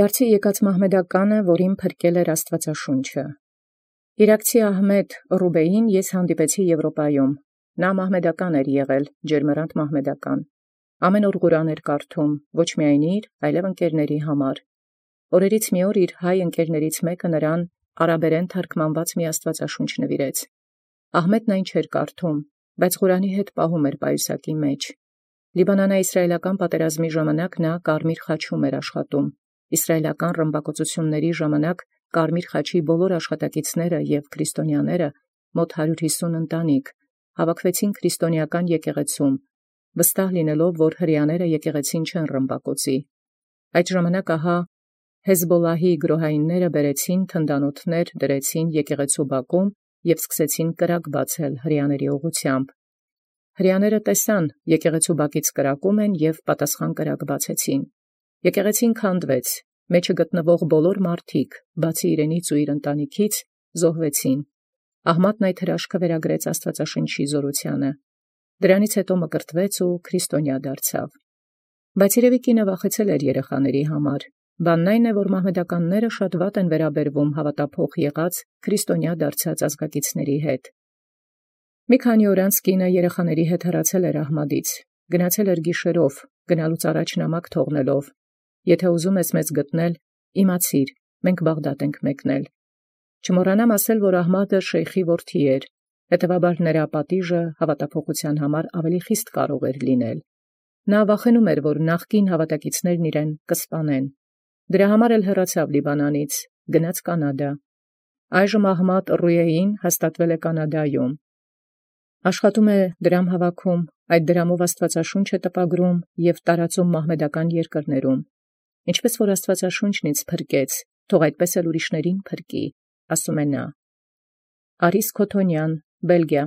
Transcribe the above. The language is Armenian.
Դարձի եկած մահմեդականը, որին փրկել էր Աստուածաշունչը։ Իրաքցի Ահմեդ Ռուբեին ես հանդիպեցի Եվրոպայում։ Նա մահմեդական էր եղել, ջերմեռանդ մահմեդական։ Ամեն օր Ղուրան էր կարդում, ոչ միայն իր, այլև ընկերների համար։ Օրերից մի օր իր հայ ընկերներից մեկը նրան արաբերեն թարգմանված մի Աստուածաշունչ նվիրեց։ Ահմեդն այն չէր կարդում, բայց Ղուրանի հետ պահում էր պայուսակի մեջ։ Լիբանանա-իսրայելական պատերազմի ժամանակ նա Կարմիր խաչում էր աշխատում։ Իսրայելական ռմբակոծությունների ժամանակ Կարմիր խաչի բոլոր աշխատակիցները եւ քրիստոնյաները մոտ 150 ընտանիք հավաքվեցին քրիստոնեական եկեղեցում, վստահ լինելով, որ հրեաները եկեղեցին չեն ռմբակոծի։ Այդ ժամանակ ահա Հեզբոլլահի գրոհայինները բերեցին թնդանոթներ, դրեցին եկեղեցու բակում եւ սկսեցին կրակ բացել հրեաների ուղղությամբ։ Հրեաները տեսան եկեղեցու բակից կրակում են եւ պատասխան կրակ բացեցին։ Եկեղեցին քանդվեց, մեջը գտնվող բոլոր մարդիկ, բացի իրենից ու իր ընտանիքից, զոհվեցին։ Ահմադն այդ հրաշքը վերագրեց Աստուածաշնչի զորությանը։ Դրանից հետո մկրտվեց ու քրիստոնյա դարձավ։ Բայց երևի կինը վախեցել էր երեխաների համար։ Բանն այն է, որ մահմեդականները շատ վատ են վերաբերվում հավատափող եղած քրիստոնյա դարձած ազգակիցների հետ։ Մի քանի օր անց կինը երեխաների հետ հեռացել էր Ահմադից, գնացել էր գիշերով, գնալուց առաջ նամակ թողնելով. «Եթե ուզում ես մեզ գտնել, իմացիր, մենք Բաղդադ ենք մեկնել»։ Չմոռանամ ասել, որ Ահմադը շեյխի որդի էր, հետևաբար նրա պատիժը հավատափոխության համար ավելի խիստ կարող էր լինել։ Նա վախենում էր, որ նախկին հավատակիցներն իրեն կսպանեն։ Դրա համար էլ հեռացավ Լիբանանից, գնաց Կանադա։ Այժմ Ահմադ Ռուեին հաստատվել է Կանադայում։ Աշխատում է դրամ հավաքում, այդ դրամով Աստուածաշունչ է տպագրում եւ տարածում մահմեդական երկրներում։ Ինչպես որ Աստուածաշունչն ինձ փրկեց, թող այդպես էլ ուրիշներին փրկի, ասում է նա։ Արիս Քոթոնյան, Բելգիա։